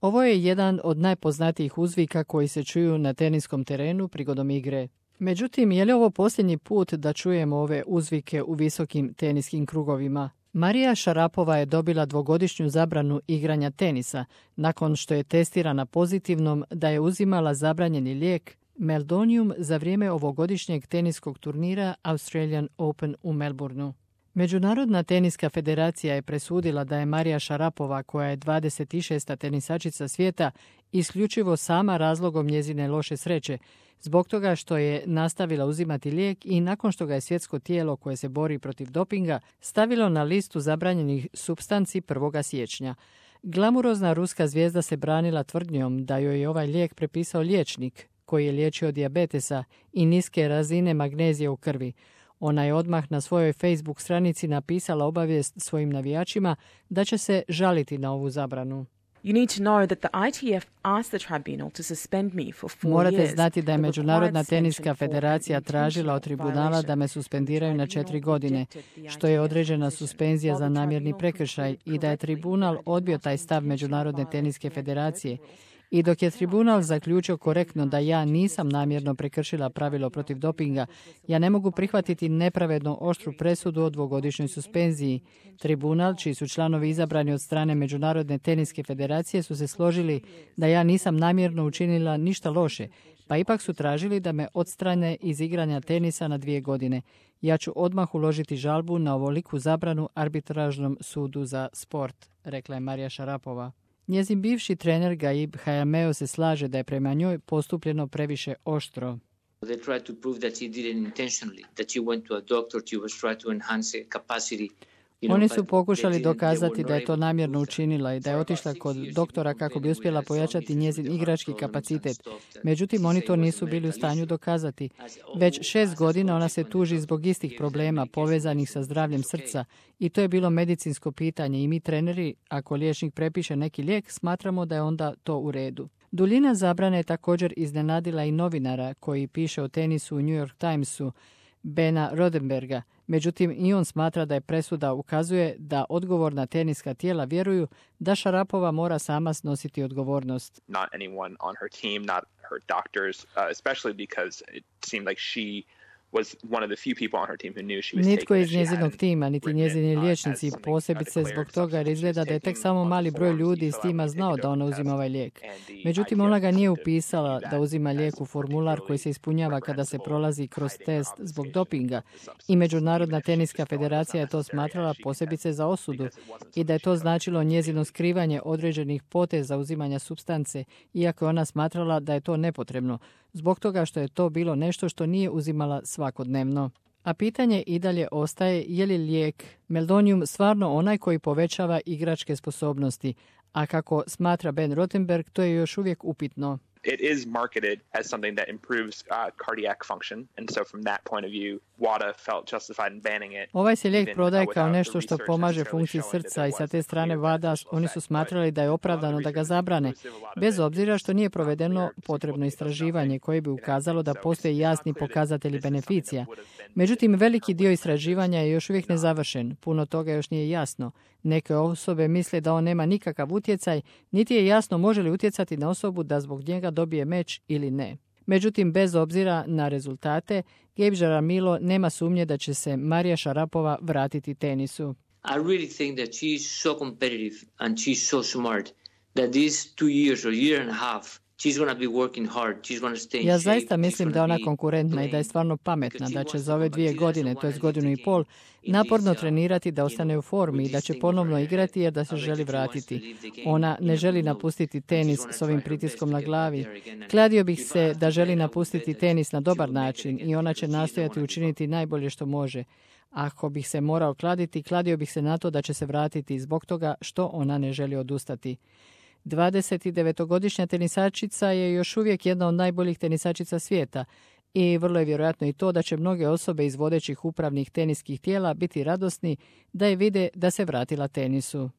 Ovo je jedan od najpoznatijih uzvika koji se čuju na teniskom terenu prigodom igre. Međutim, je li ovo posljednji put da čujemo ove uzvike u visokim teniskim krugovima? Marija Šarapova je dobila 2-godišnju zabranu igranja tenisa nakon što je testirana pozitivnom da je uzimala zabranjeni lijek Meldonium za vrijeme ovogodišnjeg teniskog turnira Australian Open u Melbourneu. Međunarodna teniska federacija je presudila da je Marija Šarapova, koja je 26. tenisačica svijeta, isključivo sama razlogom njezine loše sreće, zbog toga što je nastavila uzimati lijek i nakon što ga je svjetsko tijelo koje se bori protiv dopinga stavilo na listu zabranjenih supstanci 1. siječnja. Glamurozna ruska zvijezda se branila tvrdnjom da joj je ovaj lijek prepisao liječnik koji je liječio dijabetesa i niske razine magnezije u krvi. Ona je odmah na svojoj Facebook stranici napisala obavijest svojim navijačima da će se žaliti na ovu zabranu. Morate znati da je Međunarodna teniska federacija tražila od tribunala da me suspendiraju na 4 godine, što je određena suspenzija za namjerni prekršaj i da je tribunal odbio taj stav Međunarodne teniske federacije. I dok je tribunal zaključio korektno da ja nisam namjerno prekršila pravilo protiv dopinga, ja ne mogu prihvatiti nepravedno oštru presudu o 2-godišnjoj suspenziji. Tribunal, čiji su članovi izabrani od strane Međunarodne teniske federacije, su se složili da ja nisam namjerno učinila ništa loše, pa ipak su tražili da me odstrane iz igranja tenisa na 2 godine. Ja ću odmah uložiti žalbu na ovoliku zabranu arbitražnom sudu za sport, rekla je Marija Šarapova. Njezin bivši trener Gaib Hayameo se slaže da je prema njoj postupljeno previše oštro. They tried to prove that she did it intentionally, that she went to a doctor, she was trying to enhance capacity. Oni su pokušali dokazati da je to namjerno učinila i da je otišla kod doktora kako bi uspjela pojačati njezin igrački kapacitet. Međutim, oni to nisu bili u stanju dokazati. Već 6 godina ona se tuži zbog istih problema povezanih sa zdravljem srca i to je bilo medicinsko pitanje i mi treneri, ako liječnik prepiše neki lijek, smatramo da je onda to u redu. Duljina zabrane je također iznenadila i novinara koji piše o tenisu u New York Timesu, Bena Rodenberga. Međutim, i on smatra da je presuda ukazuje da odgovorna teniska tijela vjeruju da Šarapova mora sama snositi odgovornost. Not anyone on her team, not her doctors, especially because it seemed like she was one of the few people on her team who knew she was taking it. Nitko iz njezinog tima, niti njezini liječnici, posebice zbog toga jer izgleda da je tek samo mali broj ljudi iz tima znao da ona uzima ovaj lijek. Međutim, ona ga nije upisala da uzima lijek u formular koji se ispunjava kada se prolazi kroz test zbog dopinga i Međunarodna teniska federacija je to smatrala posebice za osudu i da je to značilo njezino skrivanje određenih poteza uzimanja supstance, iako je ona smatrala da je to nepotrebno, zbog toga što je to bilo nešto što nije uzimala svakodnevno. A pitanje i dalje ostaje je li lijek Meldonium stvarno onaj koji povećava igračke sposobnosti, a kako smatra Ben Rothenberg, to je još uvijek upitno. It is marketed as something that improves cardiac function, and so from that point of view, WADA felt justified in banning it. Ovaj se lijek prodaje kao nešto što pomaže funkciji srca i sa te strane WADA oni su smatrali da je opravdano da ga zabrane, bez obzira što nije provedeno potrebno istraživanje koje bi ukazalo da postoje jasni pokazatelji beneficija. Međutim, veliki dio istraživanja je još uvijek nezavršen, puno toga još nije jasno. Neke osobe misle da on nema nikakav utjecaj, niti je jasno može li utjecati na osobu da zbog njega dobije meč ili ne. Međutim, bez obzira na rezultate, Gabe Jaramillo nema sumnje da će se Marija Šarapova vratiti tenisu. I really think that she is so competitive and she's so smart that these 2 years or year and a half she's going to be working hard. She's going to stay in shape. Ja zaista mislim da je ona konkurentna i da je stvarno pametna, da će za ove 2 godine, to je godinu i pol, naporno trenirati da ostane u formi i da će ponovno igrati jer da se želi vratiti. Ona ne želi napustiti tenis s ovim pritiskom na glavi. Kladio bih se da želi napustiti tenis na dobar način i ona će nastojati učiniti najbolje što može. Ako bih se morao kladiti, kladio bih se na to da će se vratiti zbog toga što ona ne želi odustati. 29-godišnja tenisačica je još uvijek jedna od najboljih tenisačica svijeta i vrlo je vjerojatno i to da će mnoge osobe iz vodećih upravnih teniskih tijela biti radosni da je vide da se vratila tenisu.